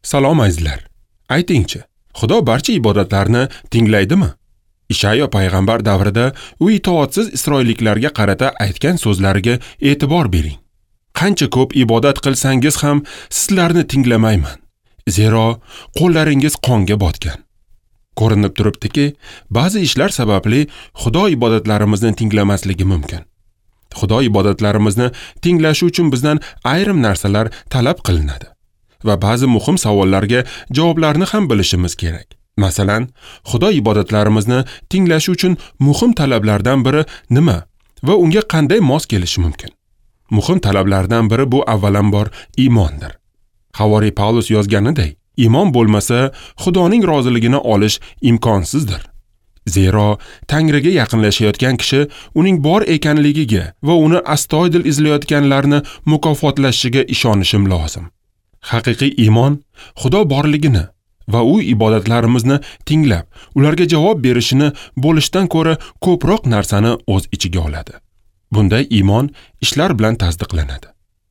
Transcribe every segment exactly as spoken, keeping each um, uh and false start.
Salom azizlar. Aytingchi, Xudo barcha ibodatlarni tinglaydimi? Ishayo payg'ambar davrida u itoatsiz isroilliklarga qarata aytgan so'zlariga e'tibor bering. Qancha ko'p ibodat qilsangiz ham sizlarni tinglamayman. Zero qo'llaringiz qonga botgan. Ko'rinib turibdiki, ba'zi ishlar sababli Xudo ibodatlarimizni tinglamasligi mumkin. Xudo ibodatlarimizni tinglashi uchun bizdan ayrim narsalar talab qilinadi va ba'zi muhim savollarga javoblarni ham bilishimiz kerak. Masalan, Xudo ibodatlarimizni tinglashi uchun muhim talablardan biri nima va unga qanday mos kelishi mumkin? Muhim talablardan biri bu avvalambor iymondir. Havoriy Pavlus yozganiday, iymon bo'lmasa Xudoning roziligini olish imkonsizdir. Zero Tangriga yaqinlashayotgan kishi uning bor ekanligiga va uni astoydil izlayotganlarni mukofotlashiga ishonishim lozim. Haqiqiy iymon Xudo borligini va u ibodatlarimizni tinglab, ularga javob berishini bo'lishdan ko'ra ko'proq narsani o'z ichiga oladi. Bunday iymon ishlar bilan tasdiqlanadi.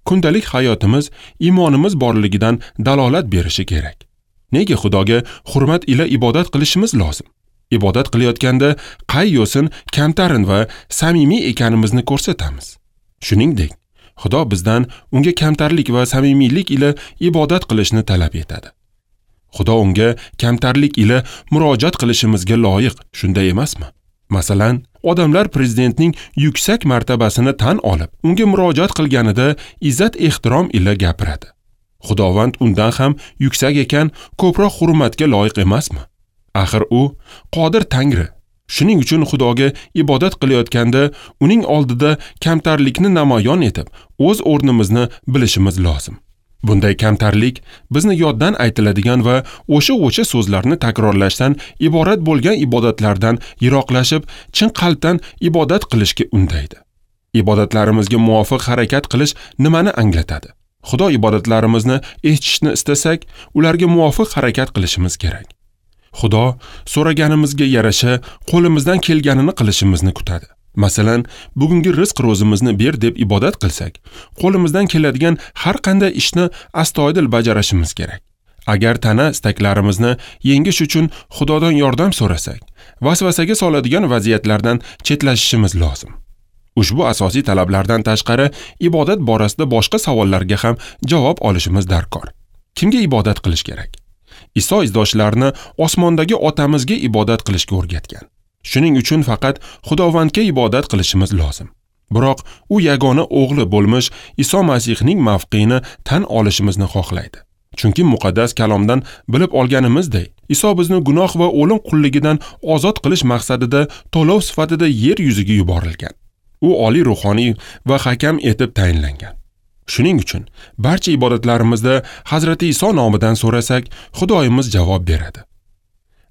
Kundalik hayotimiz iymonimiz borligidan dalolat berishi kerak. Nega Xudoga hurmat ila ibodat qilishimiz lozim? Ibodat qilayotganda qay yo'sin kamtarin va samimiy ekanimizni ko'rsatamiz. Shuningdek, Xudo bizdan unga kamtarlik va samimiylik ila ibodat qilishni talab etadi. Xudo unga kamtarlik ila murojaat qilishimizga loyiq, shunday emasmi? Masalan, odamlar prezidentning yuksak martabasini tan olib, unga murojaat qilganida izzat-ehtirom ila gapiradi. Xudovand undan ham yuksak ekan, ko'proq hurmatga loyiq emasmi? Axir u qodir Tangri. Shuning uchun Xudoga ibodat qilayotganda uning oldida kamtarlikni namoyon etib, o'z o'rnimizni bilishimiz lozim. Bunday kamtarlik bizni yoddan aytiladigan va o'sha-o'sha so'zlarni takrorlashdan iborat bo'lgan ibodatlardan yiroqlashib, chin qalbdan ibodat qilishga undaydi. Ibodatlarimizga muvofiq harakat qilish nimani anglatadi? Xudo ibodatlarimizni eshitishni istasak, ularga muvofiq harakat qilishimiz kerak. Xudo so'raganimizga yarasha qo'limizdan kelganini qilishimizni kutadi. Masalan, bugungi rizq ro'zimizni ber deb ibodat qilsak, qo'limizdan keladigan har qanday ishni astoydil bajarishimiz kerak. Agar tana istaklarimizni yengish uchun Xudodan yordam so'rasak, vasvasaga soladigan vaziyatlardan chetlashishimiz lozim. Ushbu asosiy talablardan tashqari ibodat borasida boshqa savollarga ham javob olishimiz darkor. Kimga ibodat qilish kerak? Iso izdoshlarini osmondagi otamizga ibodat qilishga o'rgatgan. Shuning uchun faqat Xudovandga ibodat qilishimiz lozim. Biroq u yagona o'g'li bo'lmish Iso Masihning mavqeini tan olishimizni xohlaydi. Chunki muqaddas kalomdan bilib olganimizdek, Iso bizni gunoh va o'lim qulligidan ozod qilish maqsadida to'lov sifatida yer yuziga yuborilgan. U oliy ruhoniy va hakam etib tayinlangan. Shuning uchun barcha ibodatlarimizda Hazrati Iso nomidan so'rasak, Xudoyimiz javob beradi.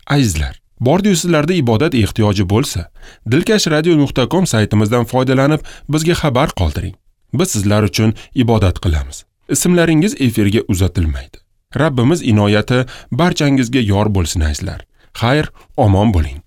Azizlar, bordi-yu sizlarda ibodat ehtiyoji bo'lsa, dilkash radio nuqta com saytimizdan foydalanib bizga xabar qoldiring. Biz sizlar uchun ibodat qilamiz. Ismlaringiz efirga uzatilmaydi. Rabbimiz inoyati barchangizga yor bo'lsin azizlar. Xayr, omon bo'ling.